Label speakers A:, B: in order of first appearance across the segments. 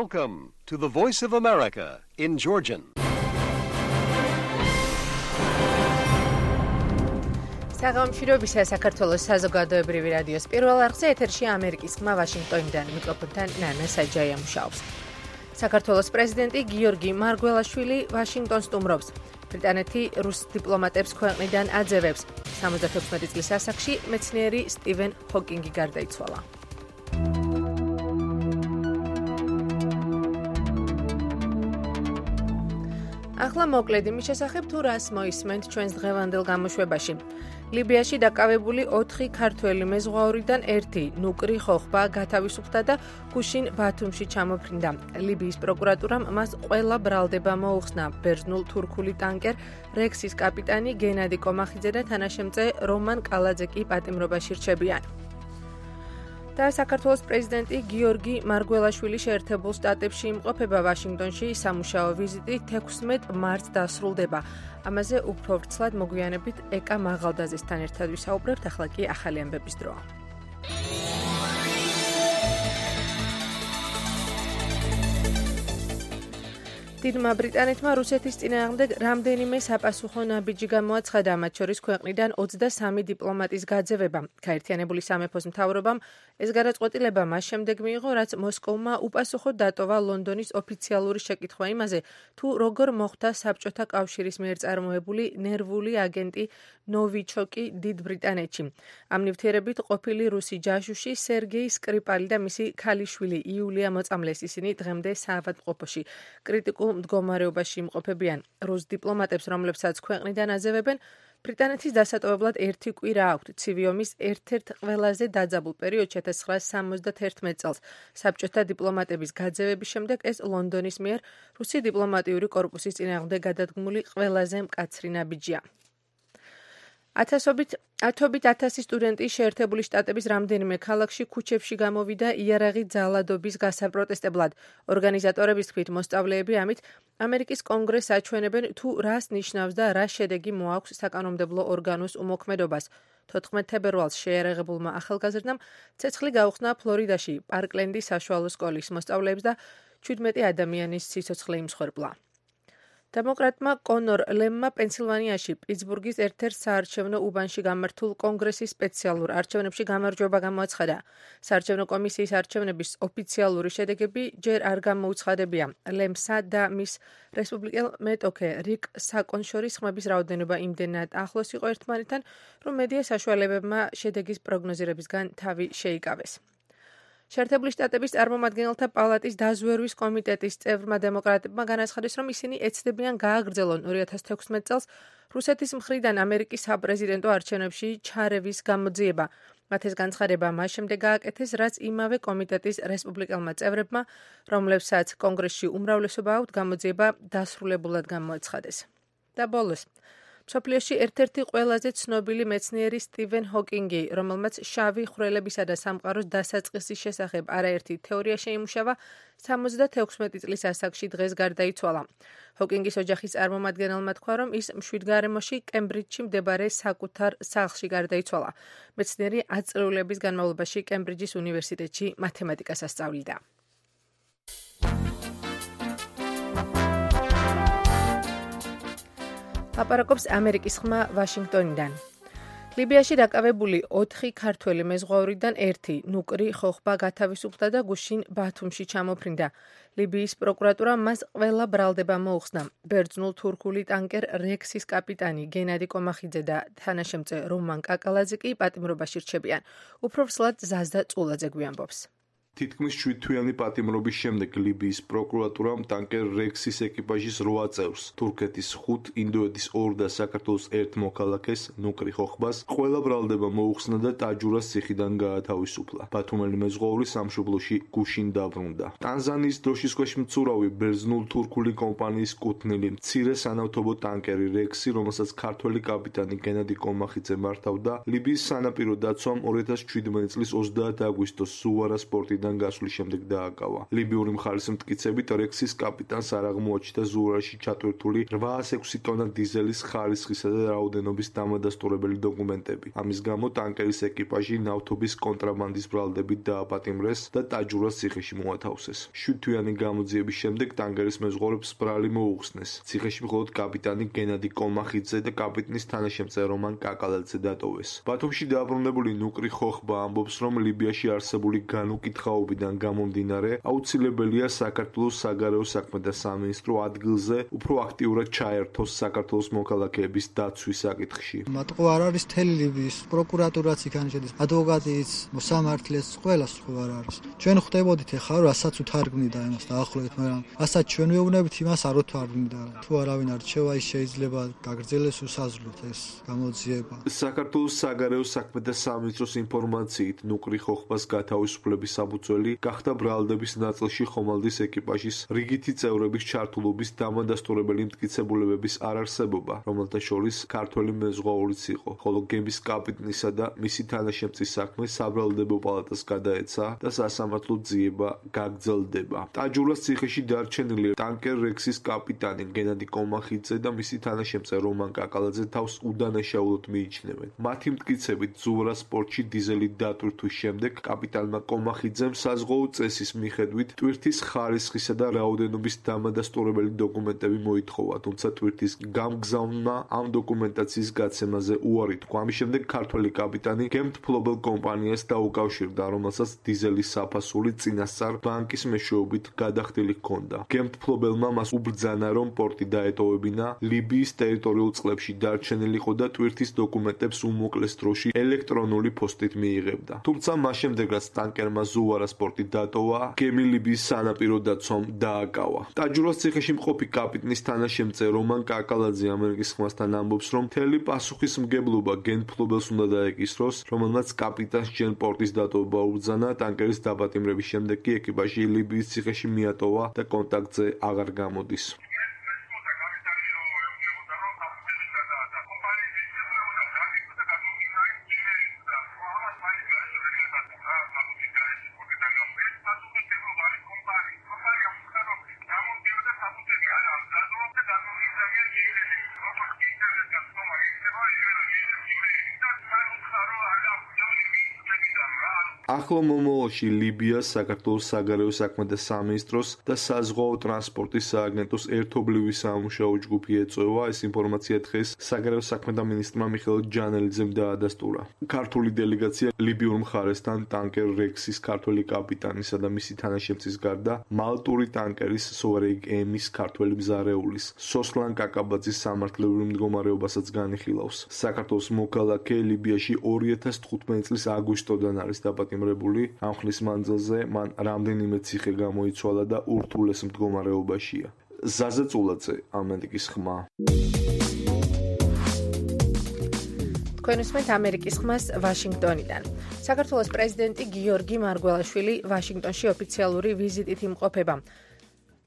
A: Welcome to the Voice of America in Georgian.
B: საღამოშირობისა საქართველოს საზოგადოებრივი რადიოს პირველ არხზე ეთერში ამერიკის ხმა ვაშინგტონიდან მიკროფონთან ნანა საჯაია მუშაობს. საქართველოს პრეზიდენტი გიორგი მარგველაშვილი ვაშინგტონს სტუმრობს. ბრიტანეთი რუს დიპლომატებს ქვეყნიდან აძევებს. 76 წლის ასაკში მეცნიერი სტივენ ჰოკინგი გარდაიცვალა. ახლა მოკლედ იმის შესახებ თუ რას მოისმენთ ჩვენს დღევანდელ გამოშვებაში. ლიბიაში დაკავებული 4 ქართველი მეზღვაურიდან 1 ნუკრი ხოხბა გათავისუფლდა და გუშინ ბათუმში ჩამოფრინდა. ლიბიის პროკურატურამ მას ყველა ბრალდება მოუხსნა. ბერძნულ თურქული ტანკერ რექსის კაპიტანი გენადი კომახიძე და თანაშემწე რომან კალაძე კი პატიმრობაში რჩებიან. და საქართველოს პრეზიდენტი გიორგი მარგველაშვილი შეერთებულ შტატებში იმყოფება. ვაშინგტონში სამუშაო ვიზიტი 16 მარტს დასრულდება. ამაზე უფრო ვრცლად მოგვიანებით ეკა მაღალდაძესთან ერთად ვისაუბრებთ. ახლა კი ახალი ამბების დროა. დიდმა ბრიტანეთმა რუსეთის წინააღმდეგ რამდენიმე საპასუხო ნაბიჯი გამოაცხადა, მათ შორის ქვეყნიდან 23 დიპლომატის გაძევება. გაერთიანებული სამეფოს მთავრობამ ეს გადაწყვეტილება მას შემდეგ მიიღო, რაც მოსკოვმა უპასუხოდ დატოვა ლონდონის ოფიციალური შეკითხვა იმაზე, თუ როგორ მოხვდა საბჭოთა კავშირის მიერ წარმოებული ნერვული აგენტი ნოვიჩოკი დიდ ბრიტანეთში. ამ ნივთიერებით ყოფილი რუსი ჯაშუში სერგეი სკრიპალი და მისი ქალიშვილი იულია მოწამლეს. ისინი დღემდე საავადმყოფოში კრიტიკულ მდგომარეობაში იმყოფებიან. რუს დიპლომატებს, რომლებსაც ქვეყნიდან აძევებენ, ბრიტანეთის დასატოვებლად 1 კვირა აქვთ. ცივი ომის ერთ-ერთ ყველაზე დაძაბულ პერიოდში 1971 წელს საბჭოთა დიპლომატების გაძევების შემდეგ ეს ლონდონის მიერ რუსი დიპლომატიური კორპუსის წინააღმდეგ გადადგმული ყველაზე მკაცრი ნაბიჯია. ათობით 1000 სტუდენტი შეერთებული შტატების რამდენიმე ქალაქში ქუჩებში გამოვიდა იარაღით ძალადობის გასაპროტესტებლად. ორგანიზატორების თქმით, მოსწავლეები ამით ამერიკის კონგრესს აჩვენებენ, თუ რას ნიშნავს და რა შედეგი მოაქვს საკანონმდებლო ორგანოს უმოქმედობას. 14 თებერვალს შეიარაღებულმა ახალგაზრდამ ცეცხლი გაუხსნა ფლორიდაში პარკლენდის საშუალო სკოლის მოსწავლეებს და 17 ადამიანის სიცოცხლე იმსხვერპლა. დემოკრატმა კონორ ლემმა პენსილვანიაში პიტსბურგის ერთ-ერთ საარჩევნო უბანში გამართულ კონგრესის სპეციალურ არჩევნებში გამარჯვება გამოაცხადა. საარჩევნო კომისიის არჩევნების ოფიციალური შედეგები ჯერ არ გამოუცხადებია. ლემსა და მის რესპუბლიკელ მეტოქე რიკ საკონს შორის ხმების რაოდენობა იმდენად ახლოს იყო ერთმანეთთან, რომ მედია საშუალებებმა შედეგის პროგნოზირებისგან თავი შეიკავეს. შეერთებული შტატების წარმომადგენელთა პალატის დაზვერვის კომიტეტის წევრმა დემოკრატებმა განაცხადეს, რომ ისინი ეცდებიან გააგრძელონ 2016 წელს რუსეთის მხრიდან ამერიკის საპრეზიდენტო არჩევნებში ჩარევის გამოძიება. მათ ეს განცხადება მას შემდეგ გააკეთეს, რაც იმავე კომიტეტის რესპუბლიკელმა წევრებმა, რომლებსაც კონგრესში უმრავლესობა აქვთ, გამოძიება დასრულებულად გამოაცხადეს. და ბოლოს მსოფლიოში ერთ-ერთი ყველაზე ცნობილი მეცნიერი სტივენ ჰოკინგი, რომელმაც შავი ხვრელებისა და სამყაროს დასაწყისის შესახებ არაერთი თეორია შეიმუშავა, 76 წლის ასაკში დღეს გარდაიცვალა. ჰოკინგის ოჯახის წარმომადგენელმა თქვა, რომ ის მშვიდგარემოში კემბრიჯში მდებარე საკუთარ სახლში გარდაიცვალა. მეცნიერი 10 წლების განმავლობაში კემბრიჯის უნივერსიტეტში მათემატიკას ასწავლიდა. აპარაკობს ამერიკის ხმა ვაშინგტონიდან. ლიბიაში დაკავებული 4 ქართველი მეზღვაურიდან 1 ნუკრი ხოხბა გათავისუფლდა და გუშინ ბათუმში ჩამოფრინდა. ლიბიის პროკურატურამ მას ყველა ბრალდება მოუხსნა. ბერძნულ თურქული ტანკერ რექსის კაპიტანი გენადი კომახიძე და თანაშემწე რომან კაკალაძე კი პატიმრობაში რჩებიან. უფრო ვრცლად ზაზდა წულაძე გვიამბობს.
C: თითქმის 7 თვიანი პატიმრობის შემდეგ ლიბიის პროკურატურამ ტანკერ რექსის ეკიპაჟის 8 წევრს, თურქეთის 5, ინდოეთის 2 და საქართველოს 1 მოქალაქეს, ნუკრი ხოხბას, ყველა ბრალდება მოუხსნა და ტაჯურას ციხიდან გაათავისუფლა. ბათუმელი მეზღვაური სამშობლოში გუშინ დაბრუნდა. ტანზანიის დროშის ქვეშ მცურავი ბერძნულ თურქული კომპანიის კუთვნილი მცირე სანავთობო ტანკერი რექსი, რომელსაც ქართველი კაპიტანი გენადი კომახიძე მართავდა, ლიბიის სანაპირო დაცვამ 2017 წლის 30 აგვისტოს სუვარა სპორტი კრიტერიიდან გასვლის შემდეგ დააკავა. ლიბიური მხარის მტკიცებით რექსის კაპიტანს არ აღმოაჩნდა ზუარაში ჩატვირთული 806 ტონა დიზელის ხარისხისა და რაოდენობის დამადასტურებელი დოკუმენტები. ამის გამო ტანკერის ეკიპაჟი ნავთობის კონტრაბანდის ბრალდებით დააპატიმრეს და ტაჯურას ციხეში მოათავსეს. 7 თვიანი გამოძიების შემდეგ ტანკერის მეზღვაურებს ბრალი მოუხსნეს. ციხეში მხოლოდ კაპიტანი გენადი კომახიძე და კაპიტნის თანაშემწე რომან კაკალაძე დატოვეს. ბათუმში დაბრუნებული ნუკრი ხოხბა ამბობს, რომ ლიბიაში არსებული განუკითხაობიდან გამომდინარე აუცილებელია საქართველოს საგარეო საქმეთა სამინისტრო ადგილზე უფრო აქტიურად ჩაერთოს საქართველოს მოქალაქეების დაცვის საკითხში.
D: მათყო არ არის მთელი ლიბიის პროკურატურაც იქ შედის, ადვოკატიც, მოსამართლეც, ყველას ხო არ არის. ჩვენ ხვდებოდით ახლა რასაც უთარგმნიდა იმას დაახლოებით, მაგრამ რასაც ჩვენ ვეუბნებით იმას არ უთარგმნიდა. თუ არავინ არჩევა ის შეიძლება გაგრძელდეს უსაზღვროდ ეს გამოძიება.
C: საქართველოს საგარეო საქმეთა სამინისტროს ინფორმაციით ნუკრი ხოხბას გათავისუფლების საფუძველი გახდა ბრალდების ნაწილში ხომალდის ეკიპაჟის რიგითი წევრების ჩართულობის დამადასტურებელი მტკიცებულებების არარსებობა, რომელთა შორის ქართველი მეზღვაურიც იყო, ხოლო გემის კაპიტნისა და მისი თანაშემწის საქმე საბრალდებო პალატას გადაეცა და სასამართლო ძიება გაგრძელდება. ტაჯურას ციხეში დარჩენილი ტანკერ რექსის კაპიტანი გენადი კომახიძე და მისი თანაშემწე რომან კაკალაძე თავს უდანაშაულოდ მიიჩნევენ. მათი მტკიცებით ზუარას პორტში დიზელი დატვირთვის შემდეგ კაპიტანმა კომახიძემ საზღვაო წესის მიხედვით ტვირთის ხარისხისა და რაოდენობის დამადასტურებელი დოკუმენტები მოითხოვა, თუმცა ტვირთის გამგზავრმა ამ დოკუმენტაციის გაცემაზე უარი თქვა. ამის შემდეგ ქართველი კაპიტანი გემთფლობელ კომპანიას დაუკავშირდა, რომელსაც დიზელის საფასური წინასწარ ბანკის მეშვეობით გადახდილი ჰქონდა. გემთფლობელმა მას უბრძანა, რომ პორტი დაეტოვებინა, ლიბიის ტერიტორიულ წყლებში დარჩენილიყო და ტვირთის დოკუმენტებს უმოკლეს დროში ელექტრონული პოსტით მიიღებდა. თუმცა მას შემდეგ რაც ტანკერმა ზუარას პორტი დატოვა, გემი ლიბიის სანაპირო დაცვამ დააკავა. ტაჯურას ციხეში მყოფი კაპიტნის თანაშემწე რომან კაკალაძე ამერიკის ხმასთან ამბობს, რომ მთელი პასუხისმგებლობა გემთფლობელს უნდა დაეკისროს, რომელმაც კაპიტანს ჯერ პორტის დატოვება უბრძანა, ტანკერის დაპატიმრების შემდეგ კი ეკიპაჟი ლიბიის ციხეში მიატოვა და კონტაქტზე აღარ გამოდის. ახლო მომავალში ლიბიას საქართველოს საგარეო საქმეთა სამინისტროს და საზღვაო ტრანსპორტის სააგენტოს ერთობლივი სამუშაო ჯგუფი ეწევა. ეს ინფორმაცია დღეს საგარეო საქმეთა მინისტრმა მიხეილ ჯანელიძემ დაადასტურა. ქართული დელეგაცია ლიბიურ მხარესთან ტანკერ რექსის ქართველი კაპიტანისა და მისი თანაშემწის გარდა მალტური ტანკერის სოვერეიგ ემის ქართველი მზარეულის სოსლან კაკაბაძის სამართლებრივ მდგომარეობასაც განიხილავს. საქართველოს მოქალაქე ლიბიაში 2015 წლის აგვისტოდან არის დაპატიმრებული. ამ ხნის მანძილზე მან რამდენიმე ციხე გამოიცვალა და ურთულეს მდგომარეობაშია. ზაზა წულაძე, ამერიკის ხმა.
B: თქვენ უსმენთ ამერიკის ხმას ვაშინგტონიდან. საქართველოს პრეზიდენტი გიორგი მარგველაშვილი ვაშინგტონში ოფიციალური ვიზიტით იმყოფება.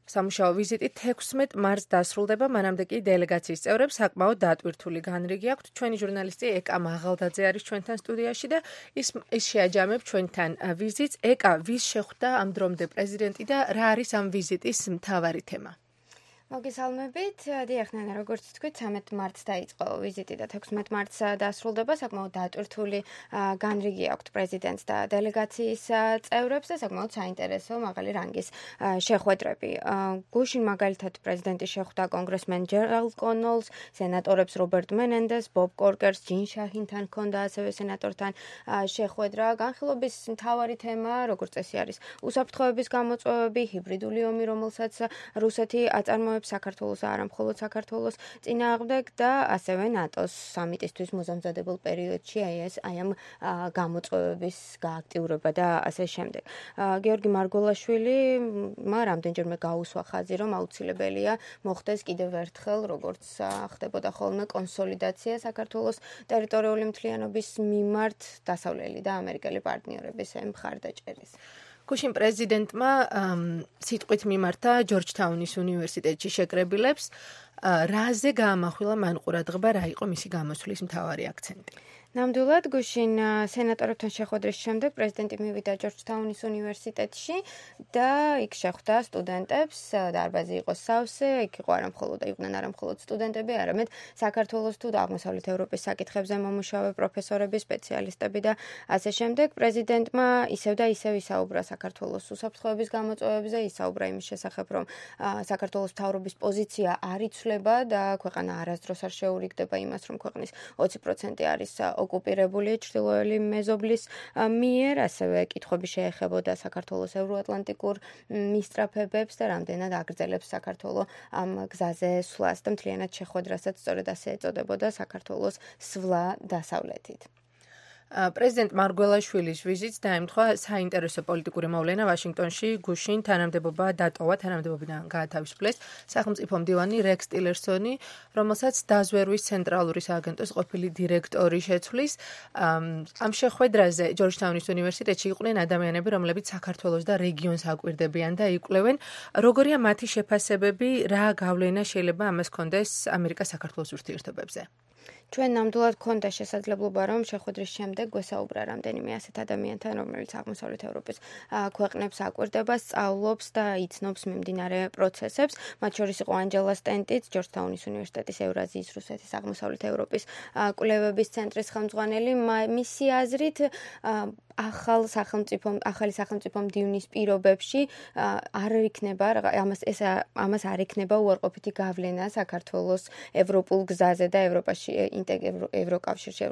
B: სამუშაო ვიზიტი 16 მარტს დასრულდება, მანამდე კი დელეგაციის წევრებს საკმაოდ დატვირთული განრიგი აქვთ. ჩვენი ჟურნალისტი ეკა მაღალდაძე არის ჩვენთან სტუდიაში და ის შეაჯამებს ჩვენთან ვიზიტს. ეკა, ვის შეხვდა ამ დრომდე პრეზიდენტი და რა არის ამ ვიზიტის მთავარი თემა?
E: მოგესალმებით. დიახ, ნანა, როგორც თქვით, 13 მარტს დაიწყო ვიზიტი და 16 მარტს დასრულდება. საკმაოდ დატვირთული განრიგი აქვთ პრეზიდენტს და დელეგაციის წევრებს და საკმაოდ საინტერესო მაღალი რანგის შეხვედრები. გუშინ მაგალითად პრეზიდენტი შეხვდა კონგრესმენ ჯერალდ კონოლს, სენატორებს რობერტ მენენდეს, ბობ კორკერს, ჯინ შაჰინთან ჰქონდა ასევე სენატორთან შეხვედრა. განხილობის მთავარი თემა, როგორც წესი არის, უსაფრთხოების გამოწვევები, ჰიბრიდული ომი, რომელსაც რუსეთი აწარმოებს საქართველოს, არა მხოლოდ საქართველოს წინააღმდეგ და ასევე ნატოს სამიტისთვის მოსამზადებელ პერიოდში აი ამ გამოწვევების გააქტიურება და ასე შემდეგ. გიორგი მარგველაშვილმა რამდენჯერმე გაუსვა ხაზი, რომ აუცილებელია მოხდეს კიდევ ერთხელ, როგორც ხდებოდა ხოლმე კონსოლიდაცია საქართველოს ტერიტორიული მთლიანობის მიმართ დასავლელი და ამერიკელი პარტნიორების მხარდაჭერის. გუშინ პრეზიდენტმა სიტყვით მიმართა ჯორჯთაუნის უნივერსიტეტში შეკრებილებს.
B: რაზე გაამახვილა მან ყურადღება, რა იყო მისი გამოსვლის მთავარი აქცენტი?
E: ნამდვილად გუშინ სენატორებთან შეხვედრის შემდეგ პრეზიდენტი მივიდა ჯორჯთაუნის უნივერსიტეტში და იქ შეხვდა სტუდენტებს, დარბაზი იყო სავსე, იქ იყვნენ არა მხოლოდ სტუდენტები, არამედ საქართველოს თუ აღმოსავლეთ ევროპის საკითხებზე მომუშავე პროფესორები, სპეციალისტები და ასე შემდეგ. პრეზიდენტმა ისევ და ისევ ისაუბრა საქართველოს უსაფრთხოების გამოწვევებზე, ისაუბრა იმის შესახებ, რომ საქართველოს მთავრობის პოზიცია არ იცვლება და ქვეყანა არასდროს არ შეურიგდება იმას, რომ ქვეყნის 20% არის ოკუპირებული ჩრდილოელი მეზობლის მიერ, ასევე კითხვები შეეხებოდა საქართველოს ევროატლანტიკურ მისწრაფებებს და რამდენად აგრძელებს საქართველო ამ გზაზე სვლას და მთლიანად შეხვედრასაც სწორედ ასე ეწოდებოდა საქართველოს სვლა დასავლეთით.
B: პრეზიდენტ მარგველაშვილის ვიზიტს დაემთხვა საინტერესო პოლიტიკური მოვლენა ვაშინგტონში. გუშინ თანამდებობიდან გაათავისუფლეს სახელმწიფო მდივანი რექს ტილერსონი, რომელსაც დაზვერვის ცენტრალური სააგენტოს ყოფილი დირექტორი შეცვლის. ამ შეხვედრაზე ჯორჯთაუნის უნივერსიტეტში იყვნენ ადამიანები, რომლებიც საქართველოს და რეგიონს აკვირდებიან და იკვლევენ, როგორია მათი შეფასებები, რა გავლენა შეიძლება ამას ჰქონდეს ამერიკა-საქართველოს ურთიერთობებზე.
E: ჩვენ ნამდვილად გქონდა შესაძლებლობა, რომ შეხვედრის შემდეგ გვესაუბრა რამდენიმე ასეთ ადამიანთან, რომელიც აღმოსავლეთ ევროპის ქვეყნებს აკვირდება, სწავლობს და იცნობს მიმდინარე პროცესებს. მათ შორის იყო ანჯელა სტენტიც, ჯორჯთაუნის უნივერსიტეტის ევრაზიის, რუსეთის, აღმოსავლეთ ევროპის კვლევების ცენტრის ხელმძღვანელი. მისი აზრით, ახალი სახელმწიფო მდივნის პირობებში არ იქნება ამას არ იქნება უარყოფითი გავლენა საქართველოს ევროპულ გზაზე და ევროკავშირში,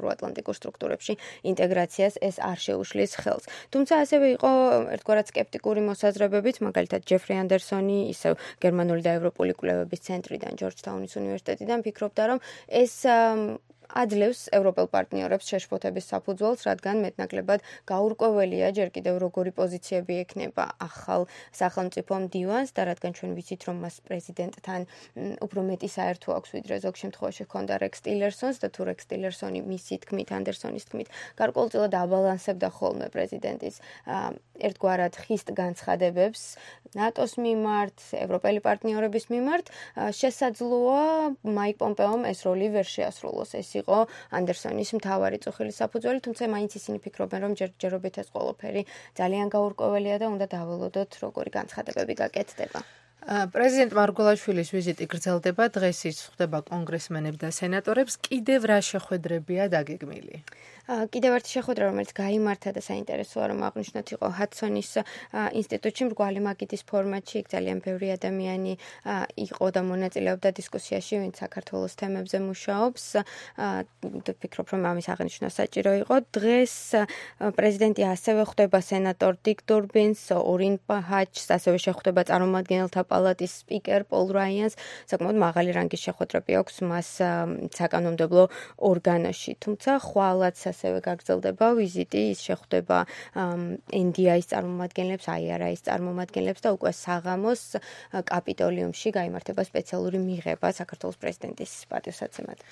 E: ევროატლანტიკურ სტრუქტურებში ინტეგრაციას ეს არ შეუშლის ხელს. თუმცა ასევე იყო ერთგვარად სკეპტიკური მოსაზრებებით, მაგალითად ჯეფრი ანდერსონი, ისევ გერმანული და ევროპული კვლევების ცენტრიდან, ჯორჯთაუნის უნივერსიტეტიდან ფიქრობდა, რომ ეს აძლევს ევროპელ პარტნიორებს შეშფოთების საფუძველს, რადგან მეტნაკლებად გაურკვეველია ჯერ კიდევ როგორი პოზიციები ექნება ახალ სახელმწიფო მდივანს და რადგან ჩვენ ვიცით, რომ მას პრეზიდენტთან უფრო მეტი საერთო აქვს, ვიდრე ზოგ შემთხვევაში ჰქონდა რექს ტილერსონს და თუ რექს ტილერსონი მისი თქმით, ანდერსონის თქმით, გარკვეულწილად აბალანსებდა ხოლმე პრეზიდენტის ერთგვარად ხისტ განცხადებებს ნატოს მიმართ, ევროპელი პარტნიორების მიმართ, შესაძლოა მაიკ პომპეომ ეს როლი ვერ შეასრულოს. ეს იყო ანდერსონის მთავარი წუხილის საფუძველი, თუმცა მაინც ისინი ფიქრობენ, რომ ჯერჯერობით ეს ყველაფერი ძალიან გაურკვეველია და უნდა დაველოდოთ, როგორი განცხადებები გაკეთდება.
B: პრეზიდენტ მარგველაშვილის ვიზიტი გრძელდება, დღეს ის ხვდება კონგრესმენებს და სენატორებს. კიდევ რა შეხვედრებია დაგეგმილი?
E: კიდევ ერთი შეხვედრა, რომელიც გაიმართა და საინტერესოა, რომ აღნიშნოთ, იყო ჰადსონის ინსტიტუტში მრგვალი მაგიდის ფორმატში. იქ ძალიან ბევრი ადამიანი იყო და მონაწილეობდა დისკუსიაში, ვინც საქართველოს თემებზე მუშაობს. ვფიქრობ, რომ ამის აღნიშვნა საჭირო იყო. დღეს პრეზიდენტი ასევე ხვდება სენატორ დიკ დურბინს, ორინ პაჰაჩს, ასევე შეხვდება წარმომადგენელთა პალატის სპიკერ პოლ რაიანს. საკმაოდ მაღალი რანგის შეხვედრები აქვს მას საკანონმდებლო ორგანოში. თუმცა ხვალაც ასევე გაგრძელდება ვიზიტი, ის შეხვდება NDI-ის წარმომადგენლებს, IRI-ის წარმომადგენლებს და უკვე საღამოს კაპიტოლიუმში გაიმართება სპეციალური მიღება საქართველოს პრეზიდენტის პატივსაცემად.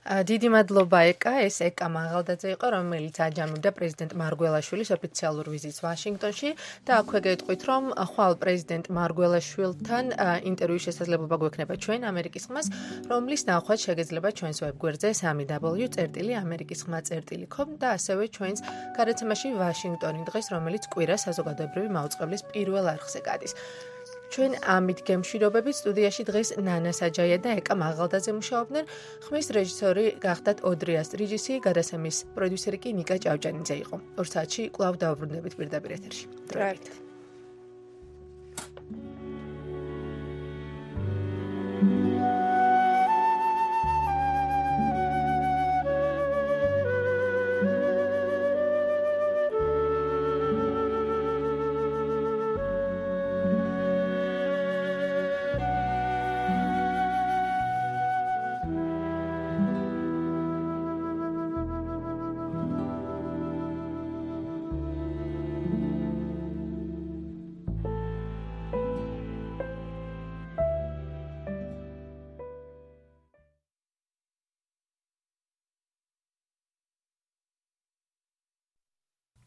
B: დიდი მადლობა ეკა, ეს ეკა მაღალდაძე იყო, რომელიც აჯამებდა პრეზიდენტ მარგველაშვილის ოფიციალურ ვიზიტს ვაშინგტონში და აქვე გეტყვით, რომ ხვალ პრეზიდენტ მარგველაშვილთან ინტერვიუის შესაძლებლობა გვექნება ჩვენ ამერიკის ხმას, რომლის ნახვაც შეგეძლება ჩვენს ვებგვერდზე www.amerikiskhma.com და ასევე ჩვენს გადაცემაში ვაშინგტონი დღეს, რომელიც კვირას საზოგადოებრივი მაუწყებლის პირველ არხზე გადის. ჩვენ ამით გემშვიდობებით, სტუდიაში დღეს ნანა საჯაია და ეკა მაღალდაძე მუშაობდნენ. ხმის რეჟისორი გახდათ ოდრიას ტრიჯისი, გადაცემის პროდიუსერი კი ნიკა ჭავჭანიძე იყო. 2 საათში კვლავ დავბრუნდებით პირდაპირ ეთერში. დროებით.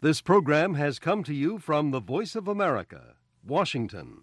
A: This program has come to you from the Voice of America, Washington.